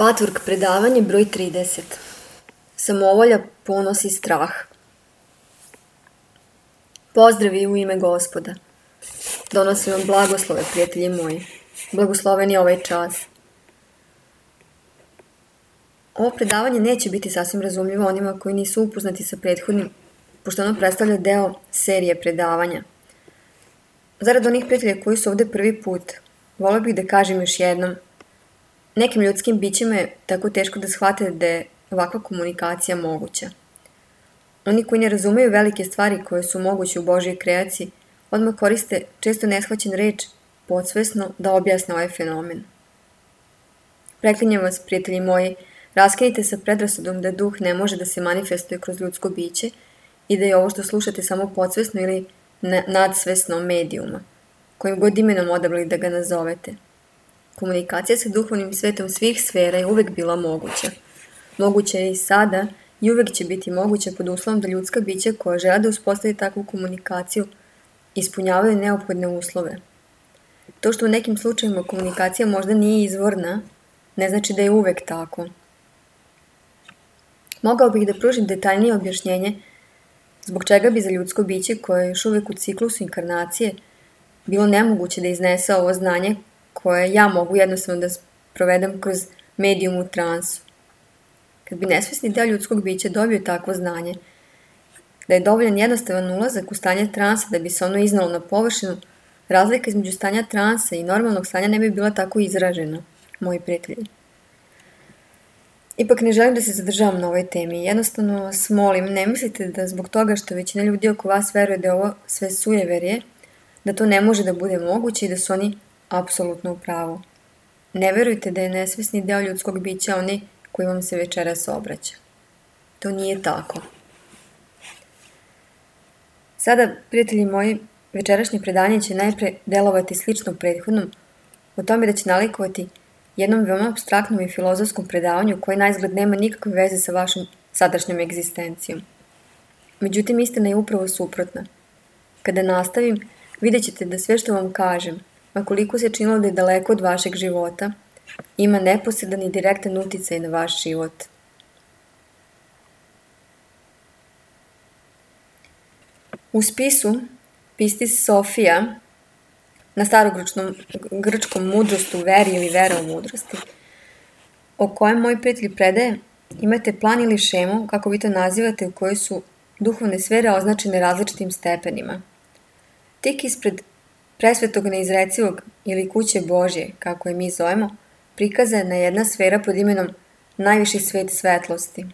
Patvork predavanje broj 30. Samovolja, ponos i strah. Pozdravi u ime Gospoda. Donosim vam blagoslove, prijatelji moji. Blagosloven je ovaj čas. Ovo predavanje neće biti sasvim razumljivo onima koji nisu upoznati sa prethodnim, pošto ono predstavlja deo serije predavanja. Zarad onih prijatelja koji su ovde prvi put, volio bih da kažem još jednom, nekim ljudskim bićima je tako teško da shvate da je ovakva komunikacija moguća. Oni koji ne razumeju velike stvari koje su moguće u Božjoj kreaciji, odmah koriste često neshvaćen reč podsvesno da objasne ovaj fenomen. Preklinjem vas, prijatelji moji, raskinite sa predrasudom da duh ne može da se manifestuje kroz ljudsko biće i da je ovo što slušate samo podsvesno ili nadsvesno medijuma, kojim god imenom odabrali da ga nazovete. Komunikacija sa duhovnim svetom svih sfera je uvek bila moguća. Moguća je i sada i uvek će biti moguća pod uslovom da ljudska bića koja žele da uspostavi takvu komunikaciju ispunjavaju neophodne uslove. To što u nekim slučajima komunikacija možda nije izvorna, ne znači da je uvek tako. Mogao bih da pružim detaljnije objašnjenje zbog čega bi za ljudsko biće koje je još uvek u ciklusu inkarnacije bilo nemoguće da iznese ovo znanje koje ja mogu jednostavno da provedem kroz medijum u transu. Kad bi nesvesni deo ljudskog bića dobio takvo znanje, da je dovoljan jednostavan ulazak u stanje transa da bi se ono iznalo na površinu, razlika između stanja transa i normalnog stanja ne bi bila tako izražena, moji prijatelji. Ipak ne želim da se zadržavam na ovoj temi. Jednostavno vas molim, ne mislite da zbog toga što većina ljudi oko vas veruje da je ovo sve sujeverje, da to ne može da bude moguće i da su oni apsolutno u pravu. Ne verujte da je nesvesni deo ljudskog bića onaj koji vam se večeras obraća. To nije tako. Sada, prijatelji moji, večerašnje predanje će najpre delovati slično prethodnom, o tome da će nalikovati jednom veoma apstraktnom i filozofskom predavanju koje naizgled nema nikakve veze sa vašom sadašnjom egzistencijom. Međutim, istina je upravo suprotna. Kada nastavim, vidjet ćete da sve što vam kažem, ma koliko se činilo da je daleko od vašeg života, ima neposredan i direktan uticaj na vaš život. U spisu Pistis Sofija, na starogrčkom mudrostu veri ili vera u mudrosti, o kojem moj prijatelj predaje, imate plan ili šemu, kako vi to nazivate, u kojoj su duhovne sfere označene različitim stepenima. Tik ispred presvetog neizrecivog ili kuće Božje, kako je mi zovemo, prikazana je jedna sfera pod imenom najviši svet svetlosti.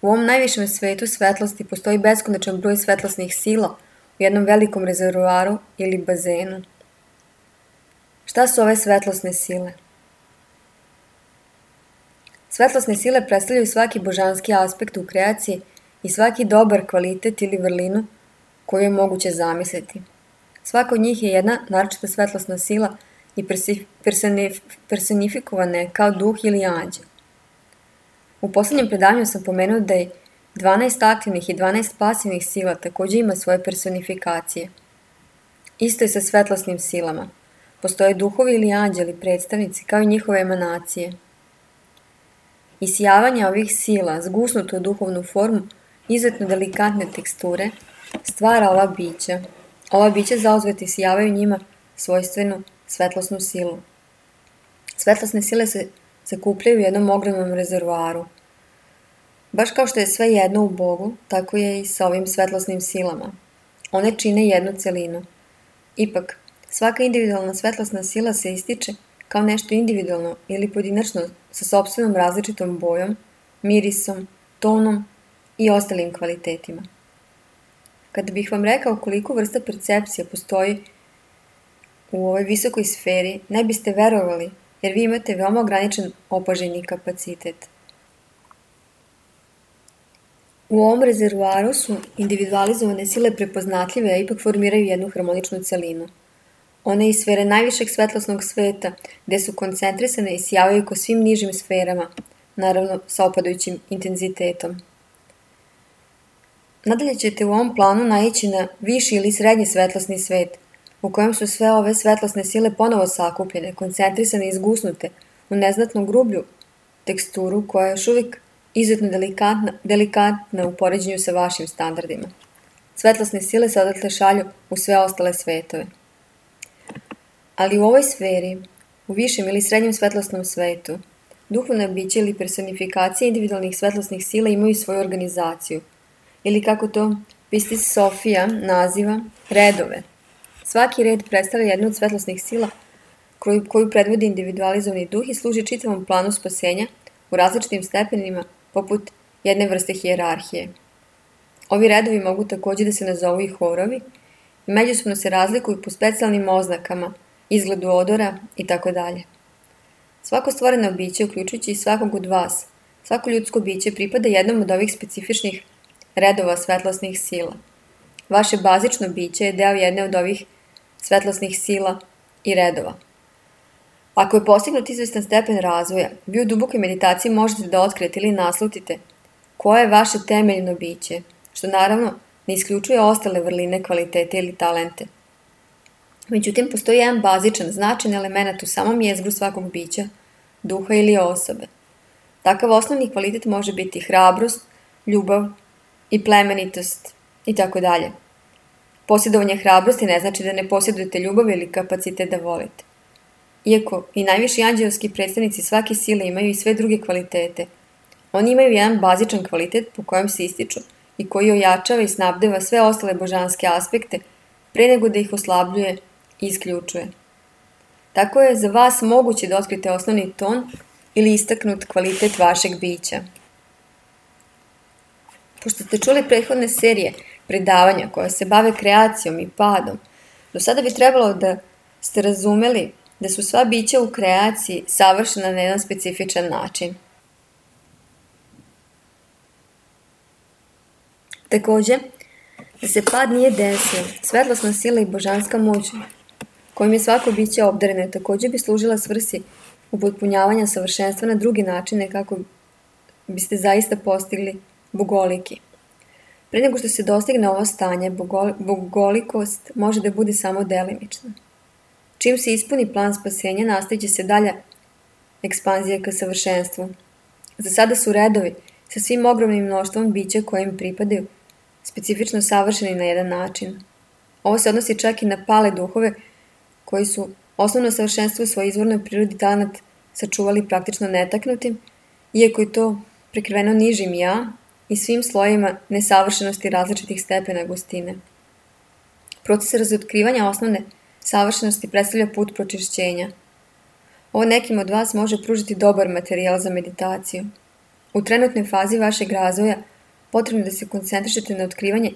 U ovom najvišem svetu svetlosti postoji beskonačan broj svetlosnih sila u jednom velikom rezervoaru ili bazenu. Šta su ove svetlosne sile? Svetlosne sile predstavljaju svaki božanski aspekt u kreaciji i svaki dobar kvalitet ili vrlinu koju je moguće zamisliti. Svaka od njih je jedna naročita svetlosna sila i personifikovana je kao duh ili anđel. U poslednjem predavanju sam pomenuo da je 12 aktivnih i 12 pasivnih sila takođe ima svoje personifikacije. Isto je sa svetlosnim silama. Postoje duhovi ili anđeli predstavnici kao i njihove emanacije. Isijavanje ovih sila, zgusnuto u duhovnu formu, izuzetno delikatne teksture, stvara ova bića. Ova bića zauzvati isijavaju njima svojstvenu svetlosnu silu. Svetlosne sile se sakupljaju u jednom ogromnom rezervoaru. Baš kao što je sve jedno u Bogu, tako je i sa ovim svetlosnim silama. One čine jednu celinu. Ipak, svaka individualna svetlosna sila se ističe kao nešto individualno ili pojedinačno sa sopstvenom različitom bojom, mirisom, tonom i ostalim kvalitetima. Kada bih vam rekao koliko vrsta percepcija postoji u ovoj visokoj sferi, ne biste verovali, jer vi imate veoma ograničen opažajni kapacitet. U ovom rezervoaru su individualizovane sile prepoznatljive, a ipak formiraju jednu harmoničnu celinu. One iz sfere najvišeg svetlosnog sveta, gde su koncentrisane i sjavaju ko svim nižim sferama, naravno sa opadajućim intenzitetom. Nadalje ćete u ovom planu naići na viši ili srednji svetlosni svet, u kojem su sve ove svetlosne sile ponovo sakupljene, koncentrisane i izgusnute u neznatno grublju teksturu koja je još uvijek izuzetno delikatna u poređenju sa vašim standardima. Svetlosne sile se odatle šalju u sve ostale svetove. Ali u ovoj sferi, u višem ili srednjem svetlosnom svetu, duhovna bića ili personifikacije individualnih svetlosnih sila imaju svoju organizaciju, ili kako to Pistis Sofija naziva, redove. Svaki red predstavlja jednu od svetlosnih sila koju predvodi individualizovani duh i služi čitavom planu spasenja u različitim stepenima, poput jedne vrste hijerarhije. Ovi redovi mogu također da se nazovu i horovi i međusobno se razlikuju po specijalnim oznakama, izgledu odora itd. Svako stvoreno biće, uključujući i svakog od vas, svako ljudsko biće pripada jednom od ovih specifičnih redova svetlosnih sila. Vaše bazično biće je deo jedne od ovih svetlosnih sila i redova. Ako je postignut izvestan stepen razvoja, vi u dubokoj meditaciji možete da otkrijete ili naslutite koje je vaše temeljno biće, što naravno ne isključuje ostale vrline, kvalitete ili talente. Međutim, postoji jedan bazičan, značajan element u samom jezgru svakog bića, duha ili osobe. Takav osnovni kvalitet može biti hrabrost, ljubav i plemenitost itd. Posjedovanje hrabrosti ne znači da ne posjedujete ljubav ili kapacitet da volite. Iako i najviši anđelski predstavnici svake sile imaju i sve druge kvalitete, oni imaju jedan bazičan kvalitet po kojem se ističu i koji ojačava i snabdeva sve ostale božanske aspekte pre nego da ih oslabljuje i isključuje. Tako je za vas moguće da otkrite osnovni ton ili istaknut kvalitet vašeg bića. Pošto ste čuli prethodne serije predavanja koja se bave kreacijom i padom, do sada bi trebalo da ste razumeli da su sva bića u kreaciji savršena na jedan specifičan način. Također, da se pad nije desio, svetlosna sila i božanska moć kojim je svako biće obdareno također bi služila svrsi upotpunjavanja savršenstva na drugi načine kako biste zaista postigli bogoliki. Pre nego što se dostigne ovo stanje, bogolikost može da bude samo delimična. Čim se ispuni plan spasenja, nastavit će se dalja ekspanzija ka savršenstvu. Za sada su redovi sa svim ogromnim mnoštvom bića koje im pripadaju specifično savršeni na jedan način. Ovo se odnosi čak i na pale duhove koji su osnovno savršenstvo u svojoj izvornoj prirodi talent sačuvali praktično netaknutim, iako je to prekriveno nižim ja i svim slojima nesavršenosti različitih stepena gustine. Proces razotkrivanja osnovne savršenosti predstavlja put pročišćenja. Ovo nekim od vas može pružiti dobar materijal za meditaciju. U trenutnoj fazi vašeg razvoja potrebno je da se koncentrišete na otkrivanje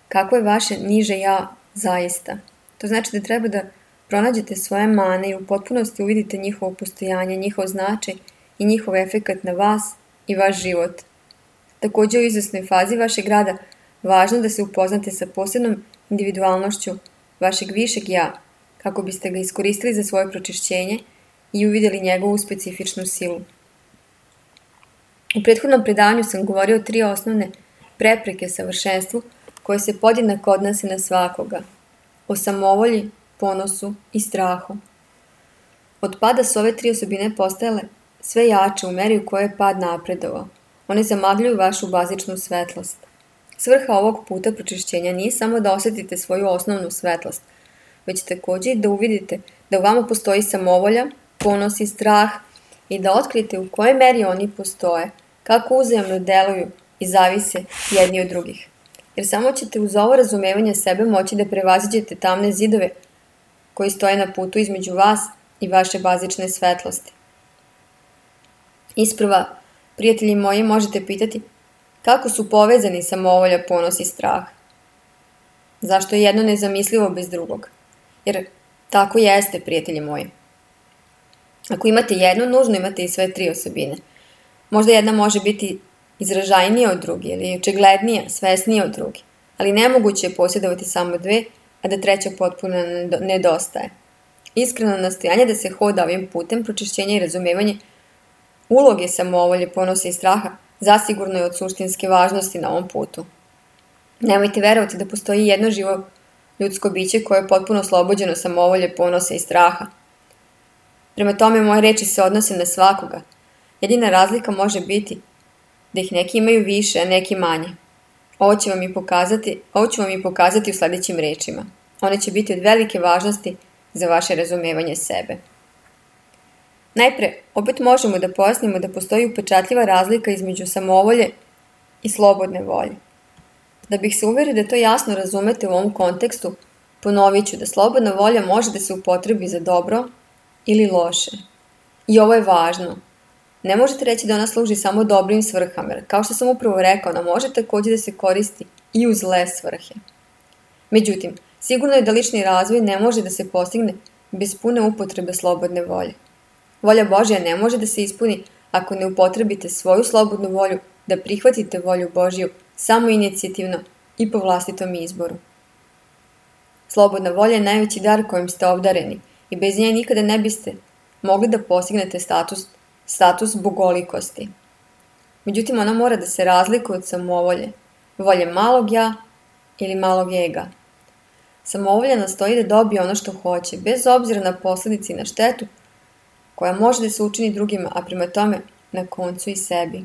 kako je vaše niže ja zaista. To znači da treba da pronađete svoje mane i u potpunosti uvidite njihovo postojanje, njihov značaj i njihov efekat na vas i vaš život. Također u izvesnoj fazi vašeg rada važno da se upoznate sa posebnom individualnošću vašeg višeg ja, kako biste ga iskoristili za svoje pročišćenje i uvidjeli njegovu specifičnu silu. U prethodnom predavanju sam govorio o 3 osnovne prepreke savršenstvu koje se podjednako odnose na svakoga. O samovolji, ponosu i strahu. Od pada su ove 3 osobine postajale sve jače u meri u kojoj je pad napredovao. One zamagljuju vašu bazičnu svetlost. Svrha ovog puta pročišćenja nije samo da osjetite svoju osnovnu svetlost, već također i da uvidite da u vama postoji samovolja, ponos i strah i da otkrijete u kojoj meri oni postoje, kako uzajamno deluju i zavise jedni od drugih. Jer samo ćete uz ovo razumevanje sebe moći da prevaziđete tamne zidove koji stoje na putu između vas i vaše bazične svetlosti. Isprva, prijatelji moji, možete pitati kako su povezani samovolja, ponos i strah. Zašto je jedno nezamislivo bez drugog? Jer tako jeste, prijatelji moji. Ako imate jednu, nužno imate i sve 3 osobine. Možda jedna može biti izražajnija od druge ili očiglednija, svesnija od druge, ali nemoguće je posjedovati samo 2, a da 3. potpuno nedostaje. Iskreno nastojanje da se hoda ovim putem pročišćenja i razumevanje uloge samovolje, ponosa i straha zasigurno je od suštinske važnosti na ovom putu. Nemojte verovati da postoji jedno živo ljudsko biće koje je potpuno oslobođeno samovolje, ponosa i straha. Prema tome, moje reči se odnose na svakoga. Jedina razlika može biti da ih neki imaju više, a neki manje. Ovo ću vam i pokazati u sljedećim rečima. One će biti od velike važnosti za vaše razumevanje sebe. Najpre, opet možemo da pojasnimo da postoji upečatljiva razlika između samovolje i slobodne volje. Da bih se uverio da to jasno razumete u ovom kontekstu, ponovit ću da slobodna volja može da se upotrebi za dobro ili loše. I ovo je važno. Ne možete reći da ona služi samo dobrim svrhama, jer kao što sam upravo rekao, ona može također da se koristi i u zle svrhe. Međutim, sigurno je da lični razvoj ne može da se postigne bez pune upotrebe slobodne volje. Volja Božja ne može da se ispuni ako ne upotrebite svoju slobodnu volju da prihvatite volju Božju samoinicijativno i po vlastitom izboru. Slobodna volja je najveći dar kojim ste obdareni i bez nje nikada ne biste mogli da postignete status bogolikosti. Međutim, ona mora da se razlikuje od samovolje, volje malog ja ili malog ega. Samovolja nastoji da dobije ono što hoće, bez obzira na posljedice i na štetu koja može da se učini drugima, a prema tome na koncu i sebi.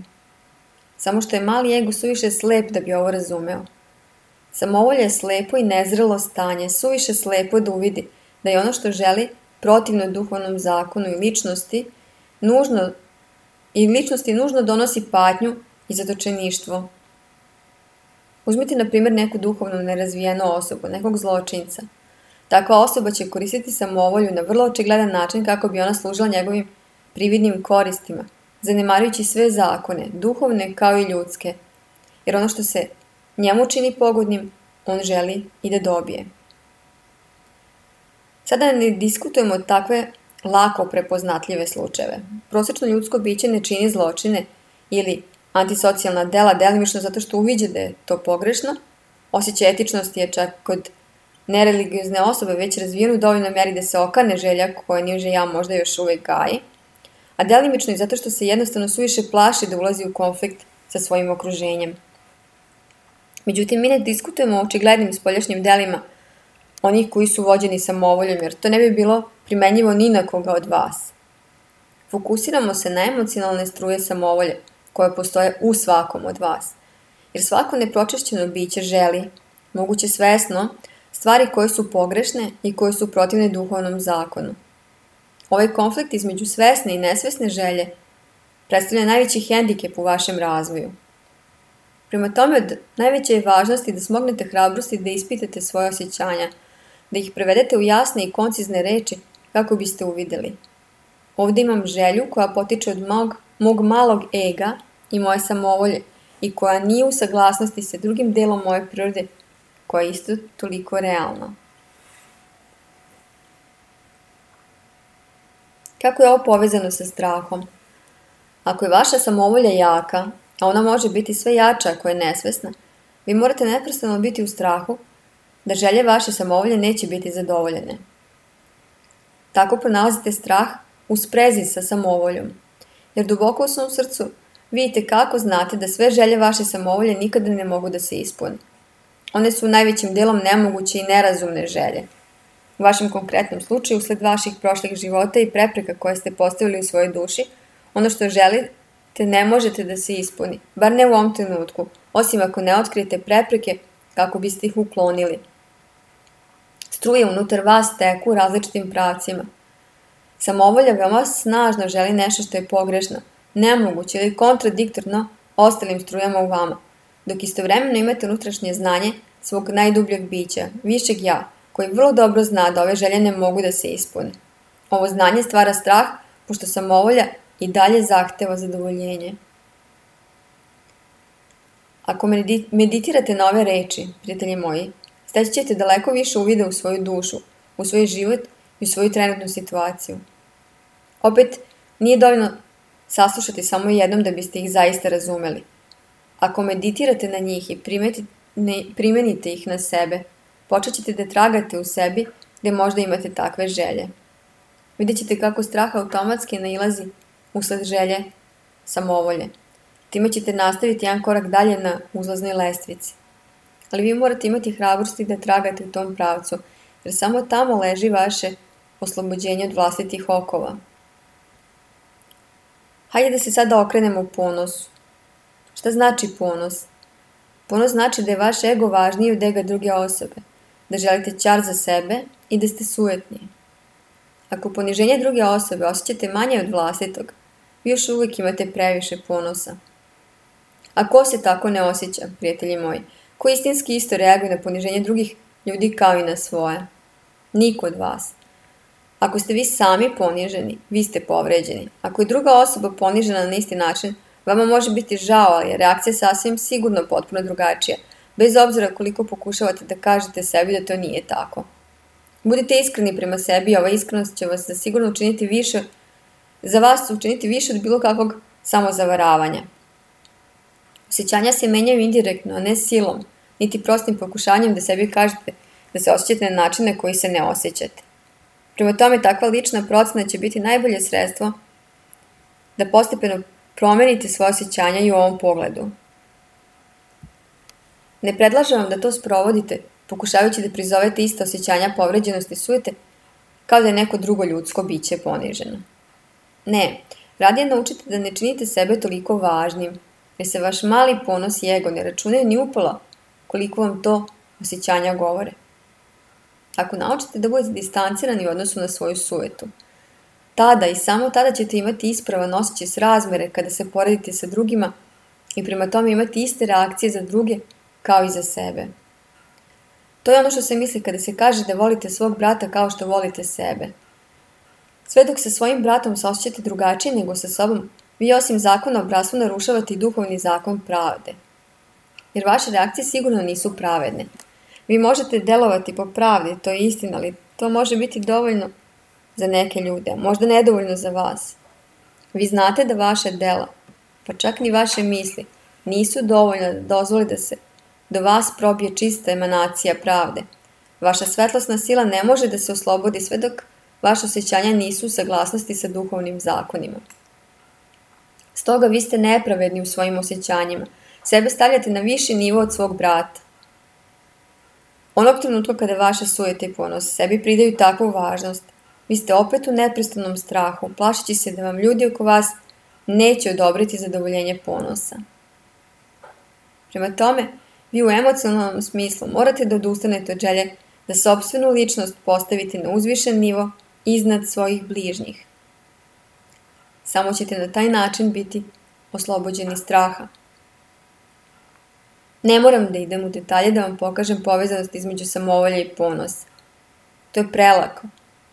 Samo što je mali ego suviše slep da bi ovo razumeo. Samovolja je slepo i nezrelo stanje, suviše slepo da uvidi da je ono što želi protivno duhovnom zakonu i ličnosti nužno donosi patnju i zatočeništvo. Uzmite na primjer neku duhovno nerazvijenu osobu, nekog zločinca. Takva osoba će koristiti samovolju na vrlo očigledan način kako bi ona služila njegovim prividnim koristima, zanemarujući sve zakone, duhovne kao i ljudske, jer ono što se njemu čini pogodnim, on želi i da dobije. Sada ne diskutujemo takve lako prepoznatljive slučajeve. Prosječno ljudsko biće ne čini zločine ili antisocijalna dela delimično zato što uviđa da je to pogrešno. Osjećaj etičnosti je čak kod nereligiozne osobe već razvijen u dovoljnoj meri da se okane želja koja niže ja možda još uvijek gaji, a delimično i zato što se jednostavno suviše plaši da ulazi u konflikt sa svojim okruženjem. Međutim, mi ne diskutujemo o očiglednim spoljašnjim delima onih koji su vođeni samovoljom, jer to ne bi bilo primenjivo ni na koga od vas. Fokusiramo se na emocionalne struje samovolje koje postoje u svakom od vas, jer svako nepročišćeno biće želi, moguće svesno, stvari koje su pogrešne i koje su protivne duhovnom zakonu. Ovaj konflikt između svesne i nesvesne želje predstavlja najveći hendikep u vašem razvoju. Prema tome, od najveće je važnosti da smognete hrabrosti da ispitate svoje osjećanja, da ih prevedete u jasne i koncizne reči kako biste uvidjeli. Ovdje imam želju koja potiče od mog malog ega i moje samovolje i koja nije u saglasnosti sa drugim delom moje prirode koja je isto toliko realna. Kako je ovo povezano sa strahom? Ako je vaša samovolja jaka, a ona može biti sve jača ako je nesvesna, vi morate neprestano biti u strahu da želje vaše samovolje neće biti zadovoljene. Tako pronalazite strah u sprezi sa samovoljom, jer duboko u svom srcu vidite kako znate da sve želje vaše samovolje nikada ne mogu da se ispune. One su najvećim delom nemoguće i nerazumne želje. U vašem konkretnom slučaju, usled vaših prošlih života i prepreka koje ste postavili u svojoj duši, ono što želite ne možete da se ispuni, bar ne u ovom trenutku, osim ako ne otkrijete prepreke kako biste ih uklonili. Struje unutar vas teku u različitim pravcima. Samovolja veoma snažno želi nešto što je pogrešno, nemoguće ili kontradiktorno ostalim strujama u vama, dok istovremeno imate unutrašnje znanje svog najdubljeg bića, višeg ja, koji vrlo dobro zna da ove želje ne mogu da se ispune. Ovo znanje stvara strah, pošto samovolja i dalje zahteva zadovoljenje. Ako meditirate na ove reči, prijatelji moji, steći ćete daleko više uvida u svoju dušu, u svoj život i u svoju trenutnu situaciju. Opet, nije dovoljno saslušati samo jednom da biste ih zaista razumeli. Ako meditirate na njih i primenite ih na sebe, počet ćete da tragate u sebi gdje možda imate takve želje. Vidjet ćete kako strah automatski nailazi usled želje samovolje. Time ćete nastaviti jedan korak dalje na uzlaznoj lestvici. Ali vi morate imati hrabrosti da tragate u tom pravcu, jer samo tamo leži vaše oslobođenje od vlastitih okova. Hajde da se sada okrenemo ponosu. Šta znači ponos? Ponos znači da je vaš ego važniji od ega druge osobe, da želite ćar za sebe i da ste sujetni. Ako poniženje druge osobe osjećate manje od vlastitog, vi još uvijek imate previše ponosa. A ko se tako ne osjeća, prijatelji moji? Ko istinski isto reaguje na poniženje drugih ljudi kao i na svoje? Niko od vas. Ako ste vi sami poniženi, vi ste povređeni. Ako je druga osoba ponižena na isti način, vama može biti žao, ali je reakcija sasvim sigurno potpuno drugačija, bez obzira koliko pokušavate da kažete sebi da to nije tako. Budite iskreni prema sebi i ova iskrenost će vas zasigurno učiniti više, za vas učiniti više od bilo kakvog samozavaravanja. Osjećanja se menjaju indirektno, a ne silom, niti prostim pokušanjem da sebi kažete da se osjećate na način na koji se ne osjećate. Prema tome, takva lična procena će biti najbolje sredstvo da postepeno promenite svoje osjećanja i u ovom pogledu. Ne predlažem vam da to sprovodite, pokušavajući da prizovete ista osjećanja povređenosti i sujete, kao da je neko drugo ljudsko biće poniženo. Ne, radije naučite da ne činite sebe toliko važnim, jer se vaš mali ponos i ego ne računaju ni upola koliko vam to osjećanja govore. Ako naučite da budete distancirani u odnosu na svoju sujetu, tada i samo tada ćete imati ispravan osjećaj srazmere kada se poredite sa drugima i prema tome imati iste reakcije za druge kao i za sebe. To je ono što se misli kada se kaže da volite svog brata kao što volite sebe. Sve dok sa svojim bratom se osjećate drugačije nego sa sobom, vi osim zakona o bratstvu narušavate i duhovni zakon pravde. Jer vaše reakcije sigurno nisu pravedne. Vi možete delovati po pravdi, to je istina, ali to može biti dovoljno za neke ljude, možda nedovoljno za vas. Vi znate da vaše dela, pa čak ni vaše misli, nisu dovoljne da dozvoli da se do vas probije čista emanacija pravde. Vaša svetlosna sila ne može da se oslobodi sve dok vaše osjećanja nisu u saglasnosti sa duhovnim zakonima. Stoga vi ste nepravedni u svojim osjećanjima. Sebe stavljate na viši nivo od svog brata. Onog trenutka kada vaše sujete i ponos sebi pridaju takvu važnost, vi ste opet u neprestanom strahu, plašeći se da vam ljudi oko vas neće odobriti zadovoljenje ponosa. Prema tome, vi u emocionalnom smislu morate da odustanete od želje da sopstvenu ličnost postavite na uzvišen nivo iznad svojih bližnjih. Samo ćete na taj način biti oslobođeni straha. Ne moram da idem u detalje da vam pokažem povezanost između samovolja i ponosa. To je prelako.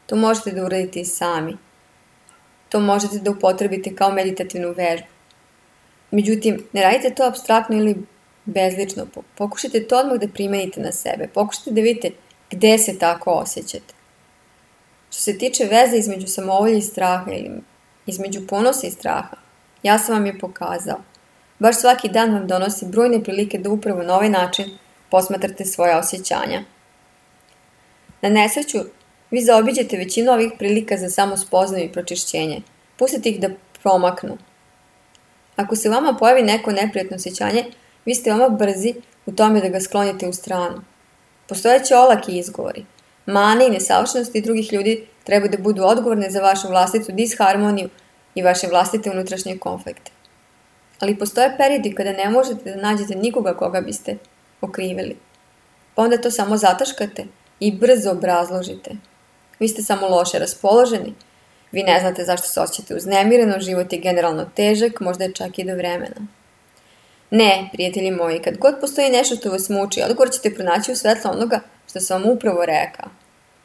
To možete da uradite i sami. To možete da upotrebite kao meditativnu vežbu. Međutim, ne radite to apstraktno ili bezlično. Pokušajte to odmah da primenite na sebe. Pokušajte da vidite gde se tako osjećate. Što se tiče veze između samovolja i straha ili između ponosa i straha, ja sam vam je pokazao. Baš svaki dan vam donosi brojne prilike da upravo na ovaj način posmatrate svoja osjećanja. Na nesreću, vi zaobiđete većinu ovih prilika za samospoznaju i pročišćenje. Pustite ih da promaknu. Ako se vama pojavi neko neprijatno osjećanje, vi ste veoma brzi u tome da ga sklonite u stranu. Postojeće olaki izgovori. Mane i nesavršenosti drugih ljudi treba da budu odgovorne za vašu vlastitu disharmoniju i vaše vlastite unutrašnje konflikte. Ali postoje periodi kada ne možete da nađete nikoga koga biste okrivili. Pa onda to samo zataškate i brzo obrazložite. Vi ste samo loše raspoloženi, vi ne znate zašto se osjećate uznemireno, život je generalno težak, možda je čak i do vremena. Ne, prijatelji moji, kad god postoji nešto što vas muči, odgovor ćete pronaći u svetlu onoga što sam vam upravo rekao.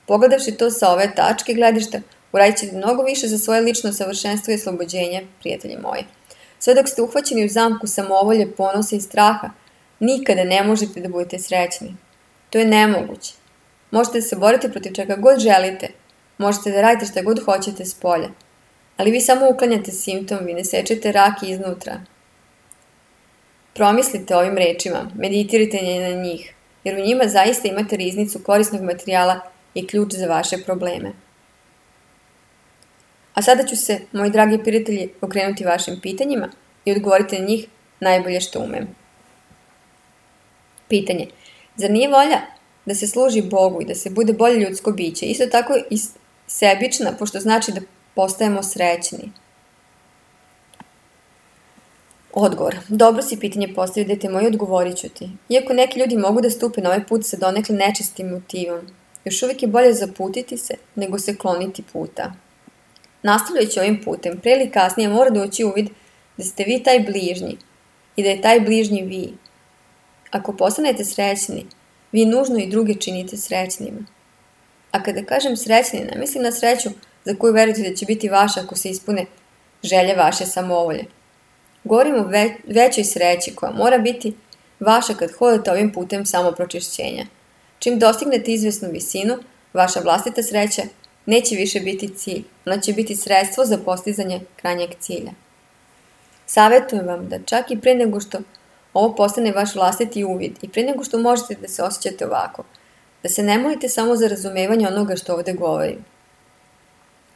Pogledavši to sa ove tačke gledišta, uradit ćete mnogo više za svoje lično savršenstvo i oslobođenje, prijatelji moji. Sve dok ste uhvaćeni u zamku samovolje, ponosa i straha, nikada ne možete da budete srećni. To je nemoguće. Možete da se borite protiv čega god želite, možete da radite šta god hoćete s polja, ali vi samo uklanjate simptom, vi ne sečete rak iznutra. Promislite o ovim rečima, meditirajte na njih, jer u njima zaista imate riznicu korisnog materijala i ključ za vaše probleme. A sada ću se, moji dragi prijatelji, okrenuti vašim pitanjima i odgovoriti na njih najbolje što umem. Pitanje. Zar nije volja da se služi Bogu i da se bude bolje ljudsko biće, isto tako i sebična, pošto znači da postajemo srećni? Odgovor. Dobro si pitanje postavio, dete moje, odgovorit ću ti. Iako neki ljudi mogu da stupe na ovaj put sa donekle nečistim motivom, još uvijek je bolje zaputiti se nego se kloniti puta. Nastavljajući ovim putem, pre ili kasnije mora doći uvid da ste vi taj bližnji i da je taj bližnji vi. Ako postanete srećni, vi nužno i druge činite srećnima. A kada kažem srećni, ne mislim na sreću za koju verujete da će biti vaša ako se ispune želje vaše samovolje. Govorim o većoj sreći koja mora biti vaša kad hodate ovim putem samopročišćenja. Čim dostignete izvesnu visinu, vaša vlastita sreća neće više biti cilj, ona će biti sredstvo za postizanje krajnjeg cilja. Savjetujem vam da čak i pre nego što ovo postane vaš vlastiti uvid i pre nego što možete da se osjećate ovako, da se ne molite samo za razumevanje onoga što ovde govorim.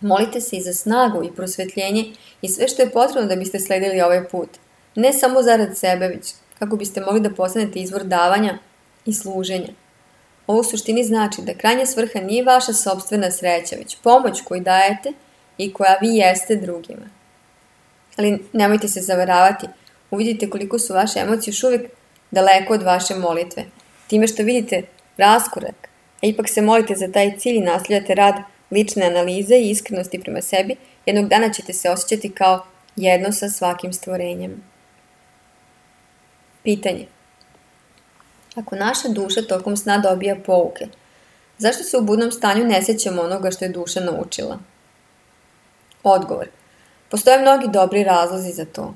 Molite se i za snagu i prosvetljenje i sve što je potrebno da biste sledili ovaj put. Ne samo zarad sebe, već kako biste mogli da postanete izvor davanja i služenja. Ovo u suštini znači da krajnja svrha nije vaša sopstvena sreća, već pomoć koju dajete i koja vi jeste drugima. Ali nemojte se zavaravati, uvidite koliko su vaše emocije još uvijek daleko od vaše molitve. Time što vidite raskorak, a ipak se molite za taj cilj i nastavljate rad lične analize i iskrenosti prema sebi, jednog dana ćete se osjećati kao jedno sa svakim stvorenjem. Pitanje. Ako naša duša tokom sna dobija pouke, zašto se u budnom stanju ne sjećamo onoga što je duša naučila? Odgovor. Postoje mnogi dobri razlozi za to.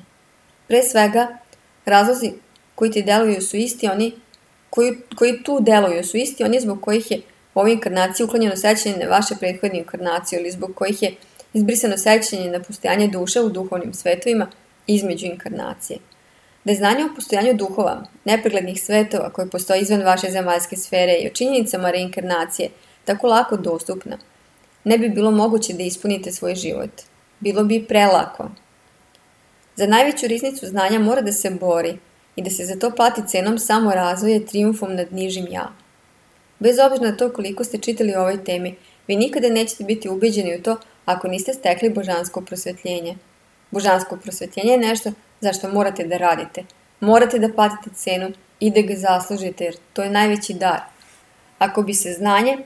Pre svega, razlozi koji ti deluju su isti oni koji tu deluju su isti oni zbog kojih je u ovoj inkarnaciji uklonjeno sećanje na vaše prethodne inkarnacije ili zbog kojih je izbrisano sećanje na postojanje duše u duhovnim svetovima između inkarnacije. Da je znanje o postojanju duhova, nepreglednih svetova koji postoje izvan vaše zemaljske sfere i o činjenicama reinkarnacije tako lako dostupna, ne bi bilo moguće da ispunite svoj život. Bilo bi prelako. Za najveću riznicu znanja mora da se bori i da se za to plati cenom samo razvoja trijumfom nad nižim ja. Bez obzira na to koliko ste čitali o ovoj temi, vi nikada nećete biti ubeđeni u to ako niste stekli božansko prosvetljenje. Božansko prosvetljenje je nešto za što morate da radite. Morate da platite cenu i da ga zaslužite jer to je najveći dar. Ako bi se znanje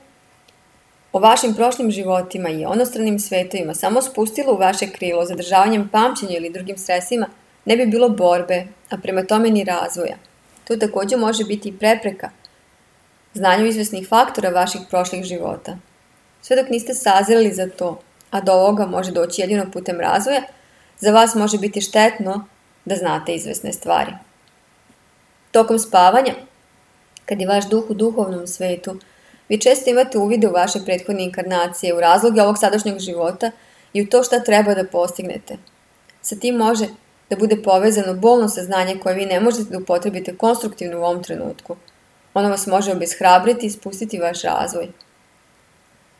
o vašim prošlim životima i onostranim svetovima samo spustilo u vaše krilo zadržavanjem pamćenja ili drugim sredstvima, ne bi bilo borbe, a prema tome ni razvoja. To također može biti i prepreka znanju izvesnih faktora vaših prošlih života. Sve dok niste sazreli za to, a do ovoga može doći jedino putem razvoja, za vas može biti štetno da znate izvesne stvari. Tokom spavanja, kad je vaš duh u duhovnom svetu, vi često imate uvide u vaše prethodne inkarnacije, u razloge ovog sadašnjeg života i u to šta treba da postignete. Sa tim može da bude povezano bolno saznanje koje vi ne možete da upotrebite konstruktivno u ovom trenutku. Ono vas može obeshrabriti i spustiti vaš razvoj.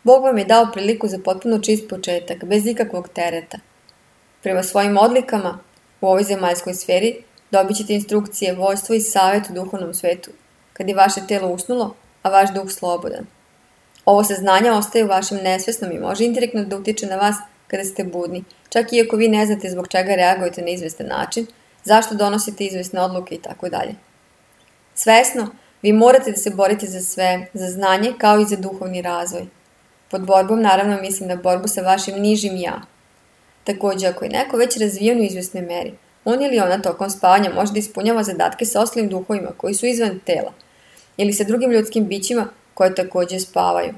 Bog vam je dao priliku za potpuno čist početak, bez ikakvog tereta. Prema svojim odlikama u ovoj zemaljskoj sferi dobit ćete instrukcije, vojstvo i savjet u duhovnom svetu, kad je vaše telo usnulo, a vaš duh slobodan. Ovo saznanje ostaje u vašem nesvesnom i može indirektno da utiče na vas kada ste budni, čak i ako vi ne znate zbog čega reagujete na izvestan način, zašto donosite izvesne odluke itd. Svesno, vi morate da se borite za sve, za znanje kao i za duhovni razvoj. Pod borbom naravno mislim na borbu sa vašim nižim ja. Također, ako je neko već razvijen u izvesnoj meri, on ili ona tokom spavanja može da ispunjava zadatke sa ostalim duhovima koji su izvan tela ili sa drugim ljudskim bićima koje također spavaju.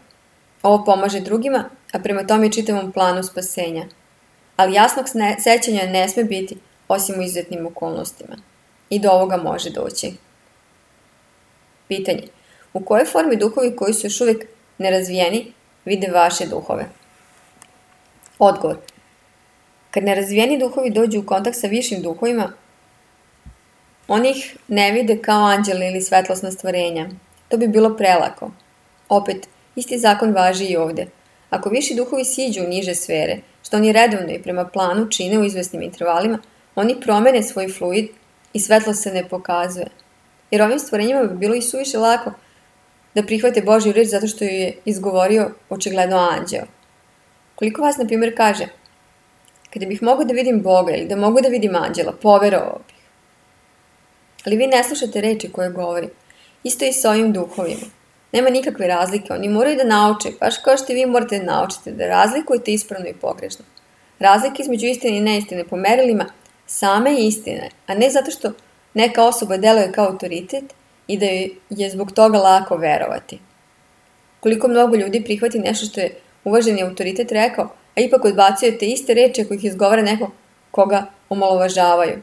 Ovo pomaže drugima, a prema tome i čitavom planu spasenja. Ali jasnog sećanja ne sme biti osim u izuzetnim okolnostima. I do ovoga može doći. Pitanje. U kojoj formi duhovi koji su još uvijek nerazvijeni vide vaše duhove? Odgovor. Kad nerazvijeni duhovi dođu u kontakt sa višim duhovima, oni ih ne vide kao anđele ili svetlosna stvorenja. To bi bilo prelako. Opet, isti zakon važi i ovdje. Ako viši duhovi siđu u niže sfere, što oni redovno i prema planu čine u izvesnim intervalima, oni promene svoj fluid i svetlost se ne pokazuje. Jer ovim stvorenjima bi bilo i suviše lako da prihvate Božju reč zato što ju je izgovorio očigledno anđeo. Koliko vas, na primjer, kaže, kada bih mogao da vidim Boga ili da mogu da vidim anđela, poverovao bih. Ali vi ne slušate reči koje govorim. Isto i sa ovim duhovima. Nema nikakve razlike, oni moraju da nauče, baš kao što vi morate da naučite, da razlikujete ispravno i pogrešno. Razlika između istine i neistine po merilima same istine, a ne zato što neka osoba deluje kao autoritet i da je zbog toga lako verovati. Koliko mnogo ljudi prihvati nešto što je uvaženi autoritet rekao, a ipak odbacio te iste reči ako ih izgovara neko koga omalovažavaju.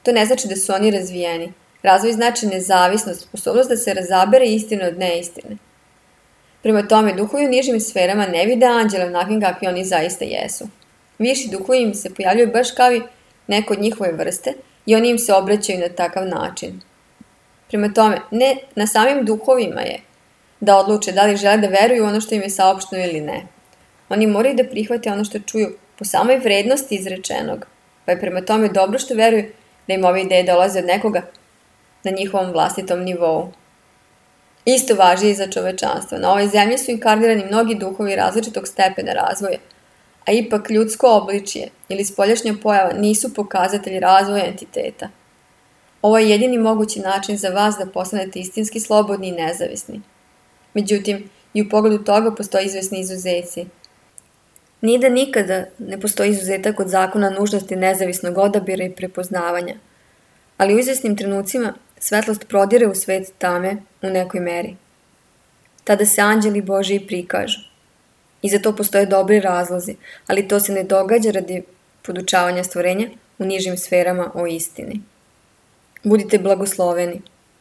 To ne znači da su oni razvijeni. Razvoj znači nezavisnost, sposobnost da se razabere istina od neistine. Prema tome, duhovi u nižim sferama ne vide anđele onakvim kakvi oni zaista jesu. Viši duhovi im se pojavljaju baš kao i neko od njihove vrste i oni im se obraćaju na takav način. Prema tome, ne na samim duhovima je da odluče da li žele da veruju u ono što im je saopšteno ili ne. Oni moraju da prihvate ono što čuju po samoj vrednosti izrečenog, pa je prema tome dobro što veruju da im ove ideje dolaze od nekoga na njihovom vlastitom nivou. Isto važi i za čovečanstvo. Na ovoj zemlji su inkarnirani mnogi duhovi različitog stepena razvoja, a ipak ljudsko obličje ili spoljašnja pojava nisu pokazatelji razvoja entiteta. Ovo je jedini mogući način za vas da postanete istinski slobodni i nezavisni. Međutim, i u pogledu toga postoji izvesni izuzeci. Nije da nikada ne postoji izuzetak od zakona nužnosti nezavisnog odabira i prepoznavanja, ali u izvesnim trenucima svetlost prodire u svet tame u nekoj meri. Tada se anđeli Božiji prikažu. I za to postoje dobri razlozi, ali to se ne događa radi podučavanja stvorenja u nižim sferama o istini. Budite blagosloveni.